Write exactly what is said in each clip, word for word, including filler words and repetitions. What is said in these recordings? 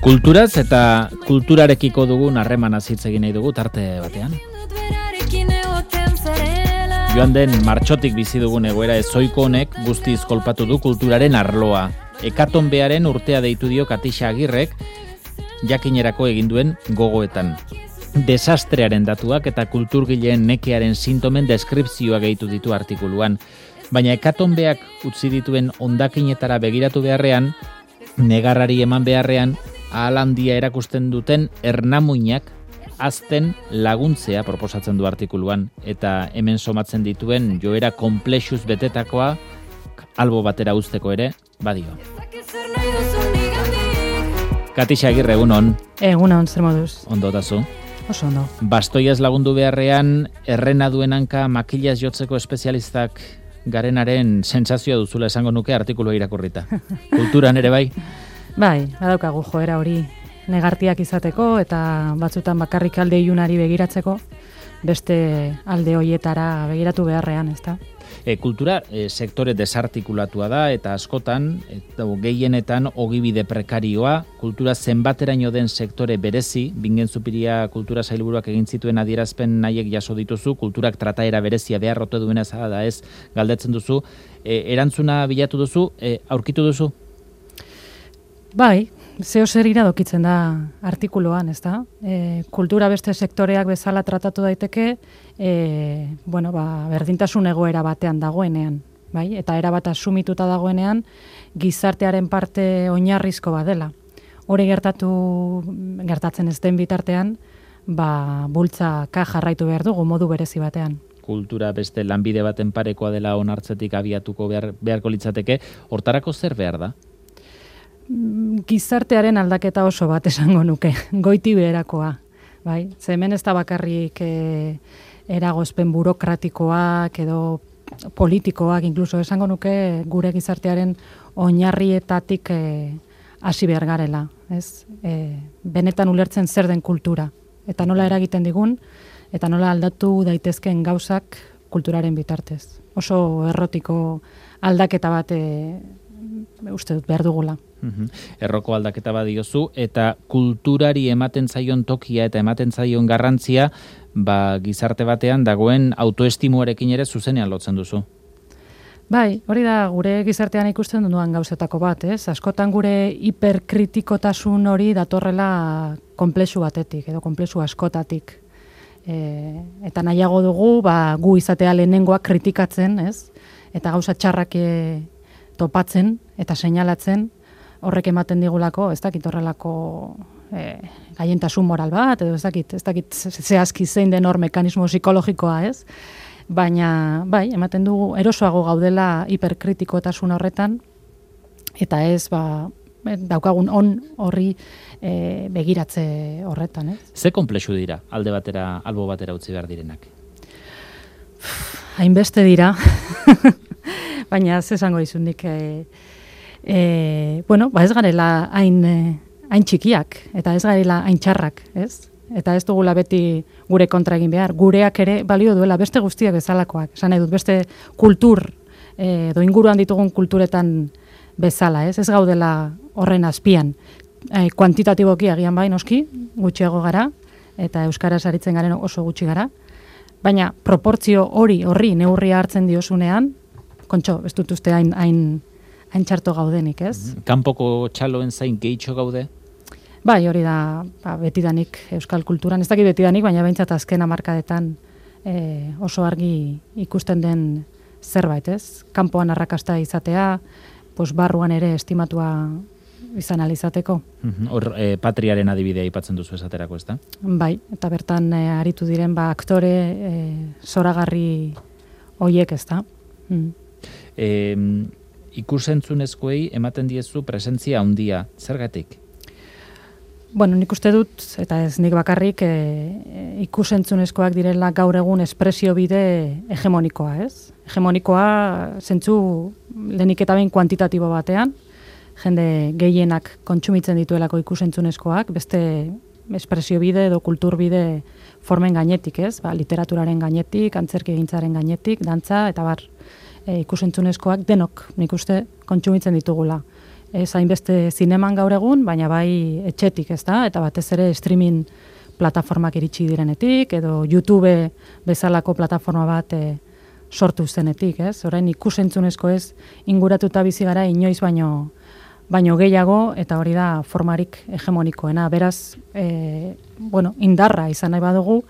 Kulturaz eta kulturarekiko dugun harremana hitz egin nahi dugu tarte batean. Joan den martxotik bizi dugun egoera ezoiko honek guztiz kolpatu du kulturaren arloa. Hekatonbearen urtea deitu dio Katixa Agirrek jakinerako egin duen gogoetan. Desastrearen datuak eta kulturgileen nekearen sintomen deskripzioa gehitu ditu artikuluan. Baina hekatonbeak utzi dituen hondakinetara begiratu beharrean, negarrari eman beharrean, ahal handia erakusten duten ernamuinak azten laguntzea proposatzen du artikuluan, eta hemen somatzen dituen joera konplexuz betetakoa albo batera uzteko ere badio. Katixa Agirre, egunon. Egunon, zer moduz. Ondo tazu. Oso ondo. Bastoiaz lagundu beharrean, errena duen hanka makilaz jotzeko espezialistak garenaren sentsazioa duzula esango nuke artikulua irakurrita. Kulturan ere bai? Bai, badaukagu joera hori negartiak izateko eta batzutan bakarrik alde ilunari begiratzeko, beste alde hoietara begiratu beharrean, ezta? E, kultura e, sektore desartikulatua da eta askotan, eta gehienetan ogibide prekarioa, kultura zenbateraino den sektore berezi, Bingen Zupiria kultura sailburuak egin zituen adierazpen nahiek jaso dituzu, kulturak trataera berezia beharrote duena zara da ez galdetzen duzu, e, erantzuna bilatu duzu, e, aurkitu duzu? Bai, zeo zer iradokitzen da artikuluan, ezta? E, kultura beste sektoreak bezala tratatu daiteke, e, bueno, ba, berdintasun egoera batean dagoenean, bai? Eta erabat asumituta dagoenean, gizartearen parte oinarrizko badela. Hori gertatu gertatzen ez den bitartean, ba, bultzaka jarraitu behar dugu modu berezi batean. Kultura beste lanbide baten parekoa dela onartzetik abiatuko behar, beharko litzateke, hortarako zer behar da? Gizartearen aldaketa oso bat esango nuke, goiti beherakoa, bai? Ze hemen ez da bakarrik e, eragozpen burokratikoak edo politikoak, inkluso esango nuke gure gizartearen oinarrietatik e, hasi behar garela, ez? E, benetan ulertzen zer den kultura, eta nola eragiten digun, eta nola aldatu daitezkeen gauzak kulturaren bitartez. Oso errotiko aldaketa bat e, uste dut behar dugula. Uhum. Erroko aldaketa badiozu, eta kulturari ematen zaion tokia eta ematen zaion garrantzia, ba, gizarte batean dagoen autoestimuarekin ere zuzenean lotzen duzu. Bai, hori da gure gizartean ikusten duan gauzetako bat, ez? Askotan gure hiperkritikotasun hori datorrela konplexu batetik, edo konplexu askotatik. E, eta nahiago dugu, ba, gu izatea lehenengoak kritikatzen, ez? Eta gauza txarrak e, topatzen eta seinalatzen, horrek ematen digulako, ez dakit horrelako e, gaientasun moral bat, edo ez dakit, ez dakit zehazki zein den hor mekanismo psikologikoa, ez? Baina, bai, ematen dugu erosoago gaudela hiperkritikotasun horretan, eta ez, ba, daukagun on horri e, begiratze horretan, ez? Ze konplexu dira, alde batera, albo batera utzi behar direnak? Hainbeste dira, baina ze esango dizundik, e, E, bueno, ba ez garela hain, hain txikiak, eta ez garela hain txarrak, ez? Eta ez dugula beti gure kontra egin behar. Gureak ere balio duela beste guztiak bezalakoak. Esan nahi dut, beste kultur, e, do inguruan ditugun kulturetan bezala, ez? Ez gaudela horren azpian. E, kuantitatiboki agian bai noski, gutxiago gara, eta euskaraz aritzen garen oso gutxi gara. Baina proportzio hori, horri, neurria hartzen diozunean, kontxo, ez dut uste hain, hain hain txarto gaudenik, ez? Kanpoko txaloen zain gehitxo gaude? Bai, hori da, ba, betidanik euskal kulturan, ez dakit betidanik, baina behintzat azken hamarkadetan e, oso argi ikusten den zerbait, ez? Kanpoan arrakasta izatea, pues barruan ere estimatua izan alizateko. Hor, e, patriaren adibidea aipatzen duzu esaterako, ez da? Bai, eta bertan e, aritu diren, ba, aktore e, zoragarri hoiek, ez da? Mm. E, Ikusentzunezkoei ematen diezu presentzia handia. Zergatik? Bueno, nik uste dut, eta ez nik bakarrik, e, ikusentzunezkoak direla gaur egun espresio bide hegemonikoa, ez? Hegemonikoa zentzu lehenik eta behin kuantitatibo batean, jende gehienak kontsumitzen dituelako ikusentzunezkoak, beste espresio bide edo kultur bide formen gainetik, ez? Ba, literaturaren gainetik, antzerki egintzaren gainetik, dantza, eta bar, e, ikusentzunezkoak denok, nik uste, kontsumitzen ditugula. ez hainbeste zineman gaur egun, baina bai etxetik, ez da, eta batez ere streaming plataformak iritsi direnetik, edo YouTube bezalako plataforma bat e, sortu zenetik, ez? Orain ikusentzunezko ez inguratuta bizi gara inoiz baino baino gehiago, eta hori da formarik hegemonikoena. Beraz, e, bueno, indarra izan nahi badugu,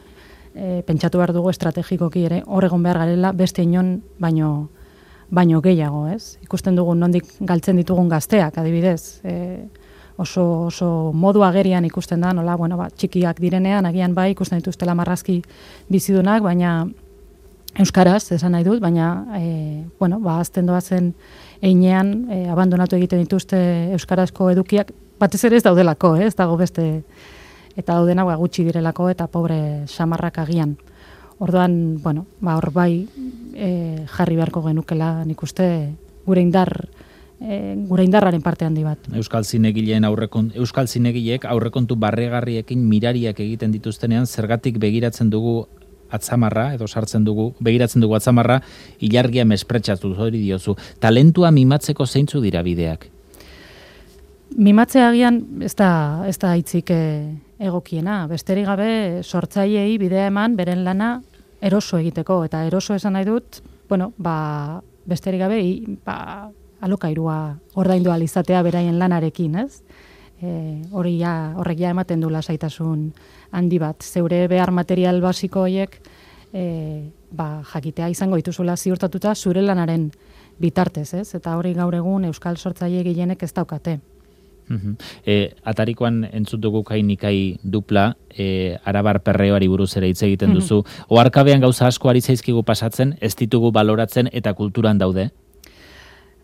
e, pentsatu behar dugu estrategikoki ere, horregon behar garela beste inon baino, baino gehiago, ez? Ikusten dugu nondik galtzen ditugun gazteak, adibidez, e, oso, oso modu agerian ikusten da, nola, bueno, ba, txikiak direnean, agian bai, ikusten dituztela marrazki bizidunak, baina euskaraz, esan nahi dut, baina, e, bueno, ba, azten doazen einean, e, abandonatu egiten dituzte euskarazko edukiak, batez ere ez daudelako, eh? Ez dago beste, eta daudena ba, gutxi direlako, eta pobre samarrak agian. Orduan, bueno, ba, hor bai e, jarri beharko genukela, nik uste, gure indar, e, gure indarraren parte handi bat. Euskal zinegileen aurrekon, Euskal zinegileek aurrekontu barregarriekin mirariak egiten dituztenean, zergatik begiratzen dugu atzamarra, edo sartzen dugu, begiratzen dugu atzamarra, ilargia mespretsatu hori diozu. Talentua mimatzeko zeintzu dira bideak? Mimatzea agian ez da, ez da hitzik egokiena. Besterik gabe sortzaileei bidea eman beren lana eroso egiteko. Eta eroso esan nahi dut, bueno, ba, besterik gabe i, ba, alokairua ordaindu ahal izatea beraien lanarekin, ez? E, hori ja, horrek ja ematen du lasaitasun handi bat. Zeure behar material basiko horiek e, ba, jakitea izango dituzula ziurtatuta zure lanaren bitartez, ez? Eta hori gaur egun euskal sortzaile gehienek ez daukate. Uh-huh. E, atarikoan entzut dugu kainikai dupla, e, arabar perreoari buruz ere hitz egiten duzu. Uh-huh. Oharkabean gauza asko ari zaizkigu pasatzen, ez ditugu baloratzen eta kulturan daude?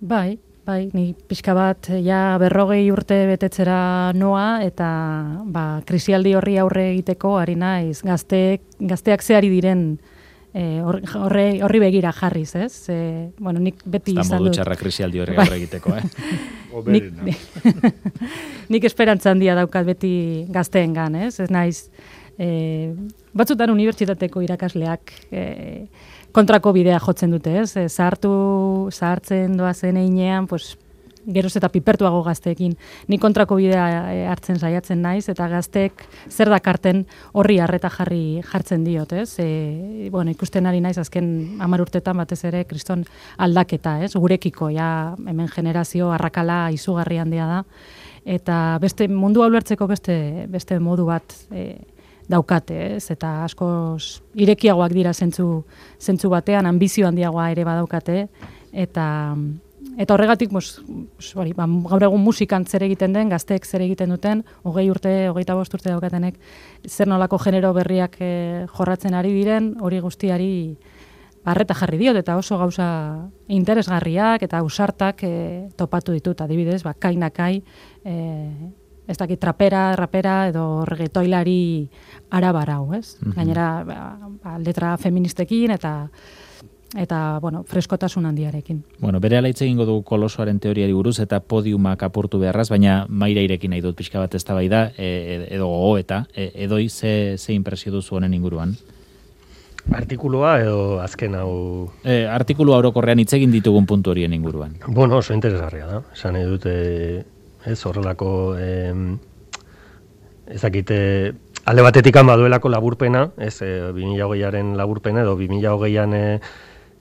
Bai, bai, ni pixka bat ja berrogei urte betetzera noa, eta ba, krisialdi horri aurre egiteko ari naiz, gazteek, gazteak zehari diren e, horre, horri begira jarriz, ez? E, bueno, nik beti izan dut. Eta modu txarra krisialdi horri aurre egiteko, eh? nik, nik esperantza handia daukat beti gazteengan, ez? Ez naiz, e, batzutan unibertsitateko irakasleak e, kontrako bidea jotzen dute, ez? E, zahartu, zahartzen doazen einean, pues, geroz eta pipertuago gazteekin. Ni kontrako bidea hartzen saiatzen naiz, eta gazteek zer dakarten horri harreta jarri jartzen diot, ez? E, bueno, ikusten ari naiz azken hamar urtetan batez ere kriston aldaketa, ez? Gurekiko, ja, hemen generazio arrakala izugarri handia da, eta beste mundua ulertzeko beste, beste modu bat e, daukate, ez? Eta askoz irekiagoak dira zentzu, zentzu batean, ambizio handiagoa ere badaukate, eta eta horregatik, mos, sorry, ba, gaur egun musikan zer egiten den, gazteek zer egiten duten, hogei urte, hogeita bost urte daukatenek, zer nolako genero berriak e, jorratzen ari diren, hori guztiari barreta jarri diot, eta oso gauza interesgarriak eta ausartak e, topatu ditut, adibidez, ba, kainakai, e, ez dakit trapera, rapera edo reggaetoilari arabarau, ez? Mm-hmm. Gainera, ba, ba, letra feministekin eta eta, bueno, freskotasun handiarekin. Bueno, bere ala hitz egingo dugu kolosoaren teoriari buruz eta podiumak apurtu beharraz, baina maira irekin nahi dut pixka bat eztabaida e, edo gogoeta, e, edoi ze, ze impresio duzu honen inguruan? Artikulua edo azken hau... E, artikulua orokorrean hitz egin ditugun puntu horien inguruan. Bueno, oso interesgarria da. Esan nahi dut, e, ez horrelako... E, ez dakite... Alde batetik baduelako laburpena, ez, e, bi mila hogeiaren laburpena, edo bi mila hogeian e,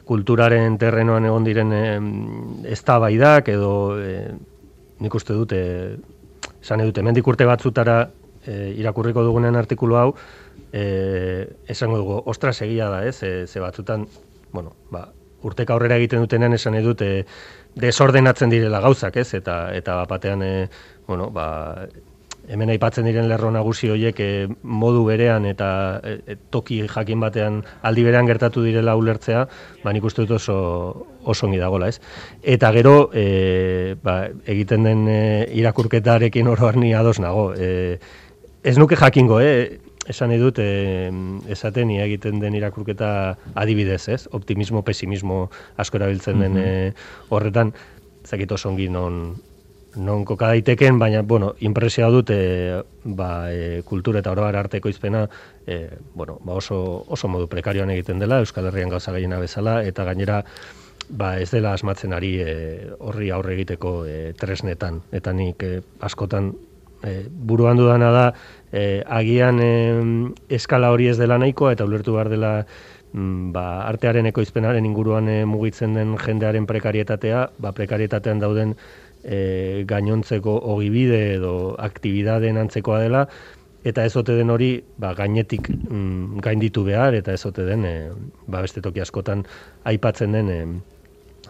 kulturaren terrenoan egon diren e, eztabaidak, edo e, nik uste dut, e, esan edut, hemendik urte batzutara e, irakurriko dugunen artikulu hau, e, esango dugu, ostras egia da, ez, e, ze batzutan, bueno, ba, urteka aurrera egiten dutenean esan edut, e, desordenatzen direla gauzak, ez, eta, eta batean, e, bueno, ba, hemen aipatzen diren lerro nagusi horiek e, modu berean eta e, toki jakin batean aldi berean gertatu direla ulertzea, ba nik uste dut oso oso ongi dagoela, ez? Eta gero e, ba, egiten den e, irakurketarekin oro har ni ados nago. E, ez nuke jakingo, eh? Esan edut, e, esaten ia egiten den irakurketa adibidez, ez? Optimismo, pesimismo asko erabiltzen den e, horretan, zakit oso ongi non non koka daiteken, baina, bueno, impresioa dut, e, ba, e, kultura eta oroar arteko izpena, e, bueno, ba oso, oso modu prekarioan egiten dela, Euskal Herrian gauza gehiena bezala, eta gainera, ba ez dela asmatzen ari e, horri aurre egiteko e, tresnetan, eta nik e, askotan e, buruan dudana da e, agian e, eskala hori ez dela nahikoa eta ulertu behar dela mm, ba, artearen ekoizpenaren inguruan e, mugitzen den jendearen prekarietatea, ba prekarietatean dauden e, gainontzeko ogibide edo aktibidadeen antzekoa dela, eta ez ote den hori ba, gainetik mm, gainditu behar, eta ez ote den e, ba, beste toki askotan aipatzen den e,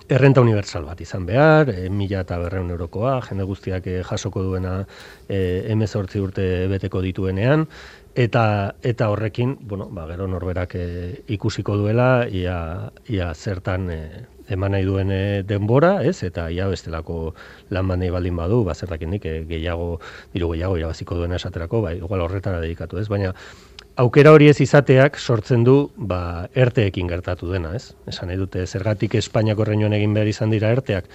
errenta universal bat izan behar, e, mila eta berreun eurokoa, jende guztiak e, jasoko duena e, hemezortzi urte beteko dituenean, eta eta horrekin, bueno, ba, gero norberak e, ikusiko duela, ia, ia zertan e, eman nahi duen e, denbora, ez? Eta ia bestelako lan bandei baldin badu, ba, zertakindik e, gehiago, diru gehiago irabaziko duena esaterako, ba, igual horretara dedikatu, ez? Baina, aukera hori ez izateak sortzen du ba, erteekin gertatu dena, ez? Esan nahi dute, zergatik Espainiako erreinuan egin behar izan dira erteak,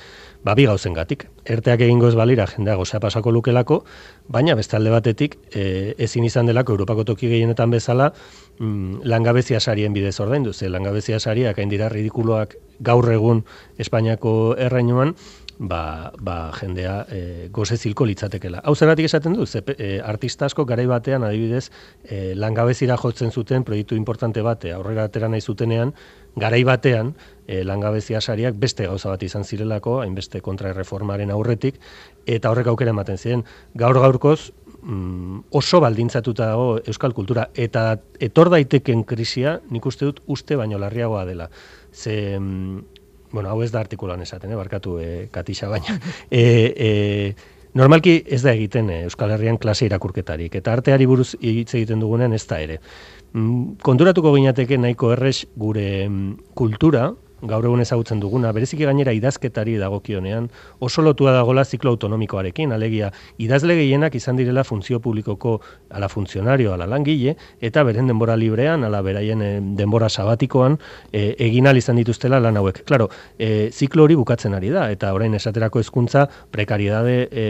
ba, bi gauzengatik. Erteak egingo ez balira jendea gozea pasako lukelako, baina beste alde batetik e, ezin izan delako Europako toki gehienetan bezala mm, langabezia sarien bidez ordaindu, ze langabezia sariak hain dira ridikuloak gaur egun Espainiako erreinuan, ba, ba jendea e, goze zilko litzatekela. Hau zergatik esaten du, ze e, artista asko garai batean adibidez e, langabezira jotzen zuten proiektu importante bate aurrera atera nahi zutenean, garai batean e, langabezia sariak beste gauza bat izan zirelako, hainbeste kontraerreformaren aurretik, eta horrek aukera ematen ziren. Gaur gaurkoz mm, oso baldintzatuta dago euskal kultura, eta etor daiteken krisia nik uste dut uste baino larriagoa dela. Ze... Mm, bueno, hau ez da artikulan esaten, eh, barkatu e, Katixa, baina e, e, normalki ez da egiten e, Euskal Herrian klase irakurketarik, eta arteari buruz hitz egiten dugunean ez da ere. Mm, konturatuko ginateke nahiko errez gure mm, kultura, gaur egun ezagutzen duguna, bereziki gainera idazketari dagokionean, oso lotua dagola ziklo autonomikoarekin, alegia idazle gehienak izan direla funtzio publikoko ala funtzionario, ala langile, eta beren denbora librean, ala beraien e, denbora sabatikoan, e, egin ahal izan dituztela lan hauek. Claro, e, ziklo hori bukatzen ari da, eta orain esaterako hezkuntza prekariedade e,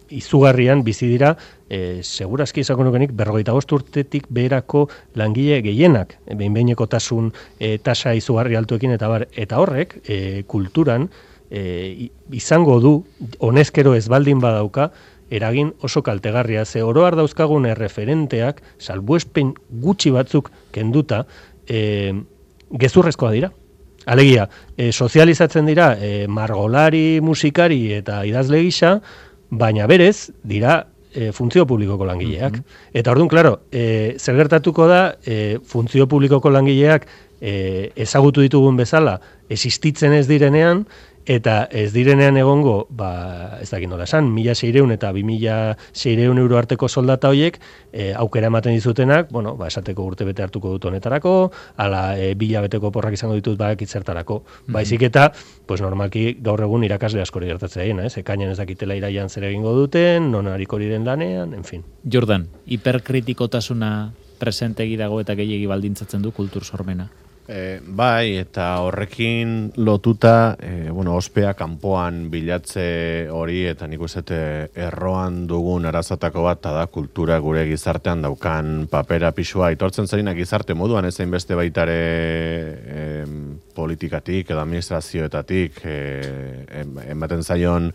izugarrian bizi dira, e, segurazki izango nukenik berrogeita bost urtetik beherako langile gehienak, behin-behinekotasun e, tasa izugarri altuekin, eta bar, eta horrek e, kulturan e, izango du, honezkero ez baldin badauka, eragin oso kaltegarria, ze oro har dauzkagun erreferenteak, salbuespen gutxi batzuk kenduta, e, gezurrezkoa dira. Alegia, e, sozializatzen dira e, margolari, musikari eta idazle gisa, baina berez dira e, funtzio publikoko langileak. Mm-hmm. Eta orduan, klaro, e, zer gertatuko da e, funtzio publikoko langileak e, ezagutu ditugun bezala existitzen ez direnean, eta ez direnean egongo, ba, ez dakit nola esan, mila seireun eta bi mila seireun euro arteko soldata horiek e, aukera ematen dizutenak, bueno, ba, esateko urte bete hartuko dut honetarako, ala e, bila beteko porrak izango ditut badakit zertarako. Mm-hmm. Baizik eta, pues normalki gaur egun irakasle askori gertatzea dena, ez? Ekainan ez dakitela iraian zer egingo duten, non hariko diren lanean, en fin. Jordan, hiperkritikotasuna presentegi dago eta gehiegi baldintzatzen du kultur sormena. E, bai, eta horrekin lotuta, e, bueno, ospea kanpoan bilatze hori, eta nik uste erroan dugun arazatako bat, da kultura gure gizartean daukan papera pisua aitortzen zainak gizarte moduan, ezein beste baitare e, politikatik edo administrazioetatik e, ematen zaion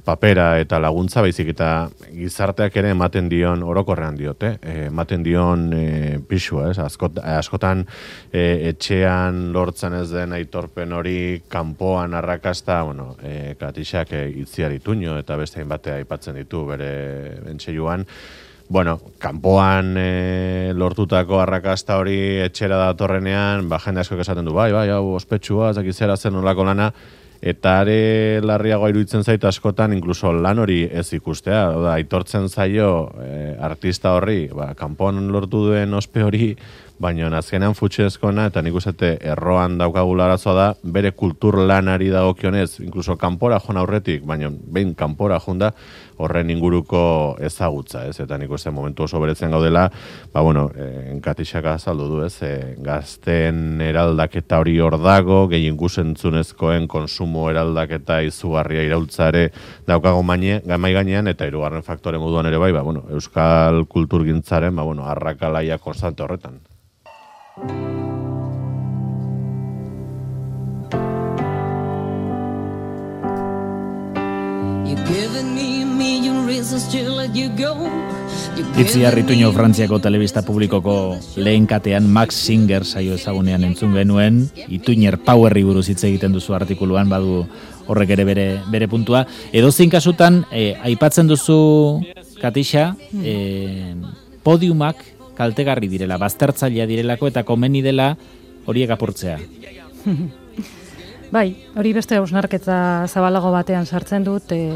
papera eta laguntza, baizik eta gizarteak ere ematen dion, orokorrean diote, eh, ematen dion e, pisua, ez? Askot, askotan e, etxean lortzen ez den aitorpen hori, kanpoan arrakasta, bueno, e, Katixak e, itziar ituño eta beste hainbatea aipatzen ditu bere bentseiluan. Bueno, kanpoan e, lortutako arrakasta hori etxera datorrenean, ba, jende asko esaten du, bai, bai, hau ospetsua, zakizera zen nolako lana, eta are larriagoa iruditzen zait askotan inkluso lan hori ez ikustea, oda, aitortzen zaio e, artista horri, ba, kanpoan lortu duen ospe hori, baina azkenean futxezkoena, eta nik uste erroan daukagula arazoa da, bere kultur lanari dagokionez, inkluso kanpora joan aurretik, baina behin kanpora junda, horren inguruko ezagutza, ez? Eta nik uste momentu oso beretzen gaudela, ba, bueno, e, Katixak azaldu du, ez? E, gazten eraldaketa hori hor dago, gehien gusentzunezkoen konsumo eraldaketa izugarria iraultzare daukago maine, gamai gainean, eta hirugarren faktore moduan ere bai, ba, bueno, euskal kulturgintzaren, ba, bueno, arrakalaia konstante horretan. Itziar Ituño Frantziako telebista publikoko lehen katean Max Singer saio ezagunean entzun genuen, Ituñer Powerri buruz hitz egiten duzu artikuluan, badu horrek ere bere, bere puntua. Edozein kasutan, eh, aipatzen duzu, Katixa, eh, podiumak kaltegarri direla, baztertzailea direlako eta komeni dela horiek apurtzea. Bai, hori beste hausnarketa zabalago batean sartzen dut, e,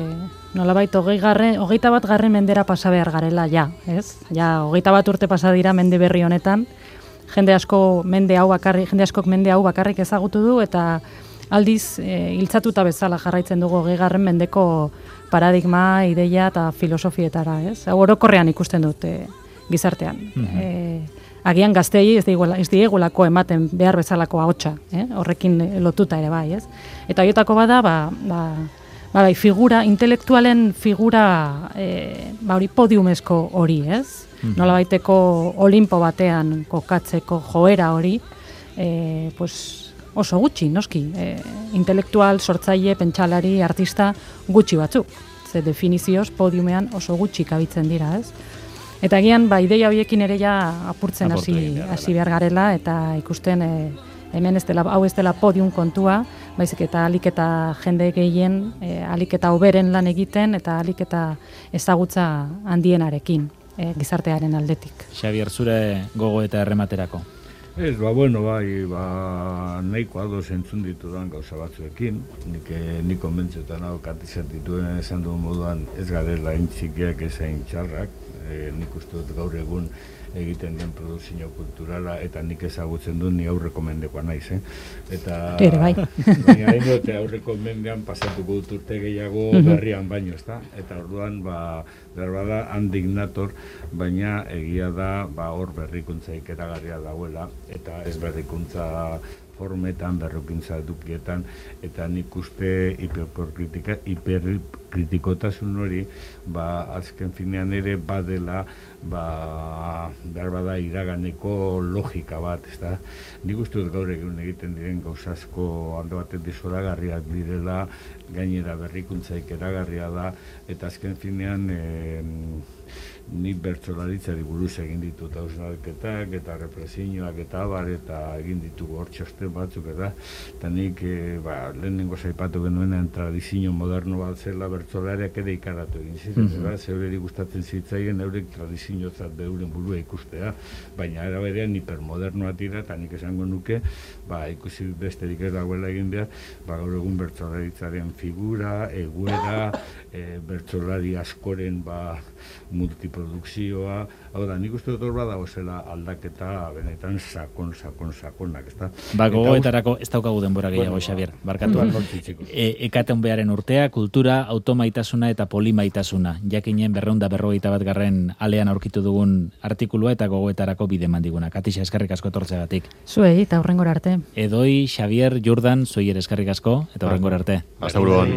nolabait hogei garren, hogeita bat garren mendera pasa behar garela, ja, ez? Ja, hogeita bat urte pasa dira mende berri honetan, jende asko mende hau bakarrik, jende askok mende hau bakarrik ezagutu du, eta aldiz, e, hiltzatuta bezala jarraitzen dugu hogei garren mendeko paradigma, ideia eta filosofietara, ez? Hau orokorrean ikusten dut e, gizartean. Mm-hmm. e, Agian gaztei ez diegulako ematen behar bezalako ahotsa, eh? Horrekin lotuta ere bai, ez? Eta horietako bada, ba, ba, ba, bai, figura, intelektualen figura, e, ba, hori podiumezko hori, ez? Mm-hmm. Nola baiteko olimpo batean kokatzeko joera hori, e, pues, oso gutxi, noski. E, intelektual, sortzaile, pentsalari, artista gutxi batzuk. Ze definizioz podiumean oso gutxi kabitzen dira, ez? Eta agian, ba, ideia horiekin ere ja apurtzen hasi hasi behar garela, eta ikusten e, hemen ez dela, hau ez dela podium kontua, baizik eta alik eta jende gehien, e, alik eta hoberen lan egiten, eta alik eta ezagutza handienarekin e, gizartearen aldetik. Xabier, zure gogo eta errematerako. Ez, ba, bueno, bai, ba, nahiko ados entzun ditudan gauza batzuekin, nik, nik konbentzetan hau Katixak dituen esan duen moduan ez garela intzikiak ezain txarrak, e, nik uste dut gaur egun egiten den produzio kulturala, eta nik ezagutzen dut ni aurreko mendekoa naiz, eh? Eta, Ere, bai. Baina hain dut aurreko mendean pasatuko dut urte gehiago berrian baino, ezta? Eta orduan, ba, berbada handik nator, baina egia da, ba, hor berrikuntza ikeragarria dauela, eta ez berrikuntza formetan, berrikuntza edukietan, eta nik uste hiperkritika, hiperkritikotasun hori, ba, azken finean ere badela, ba, behar bada iraganeko logika bat, ezta? Nik uste dut gaur egun egiten diren gauzazko alde batetik zoragarriak direla, gainera berrikuntza ikeragarria da, eta azken finean e, nik bertsolaritzari buruz egin ditut hausnarketak eta represioak eta abar eta egin ditugu hor txosten batzuk, eta eta nik e, ba, lehenengo zaipatu genuenean tradizio moderno bat zela bertsolariak ere ikaratu egin ziren, mm-hmm. Zeureri gustatzen zitzaien eurek tradiziotzat beuren burua ikustea, baina era berean hipermodernoa dira, eta nik esango nuke, ba, ikusi besterik ez dagoela egin behar, ba, gaur egun bertsolaritzaren figura, egoera, e, bertsolari askoren ba, multiprodukzioa, hau da, nik uste dut hor badago zela aldaketa benetan sakon, sakon, sakonak, ezta? Ba, gogoetarako ez daukagu denbora gehiago, bueno, Xabier, barkatu. E, ekaten beharen urtea, kultura, automaitasuna eta polimaitasuna. Jakinen berreunda berrogeita bat garren alean aurkitu dugun artikulua eta gogoetarako bide mandiguna. Katixa, eskerrik asko etortzeagatik. Zuei, eta hurrengora arte. Edoi, Xabier, Jordan, zuei ere eskerrik asko, eta hurrengora arte. Hasta buruan.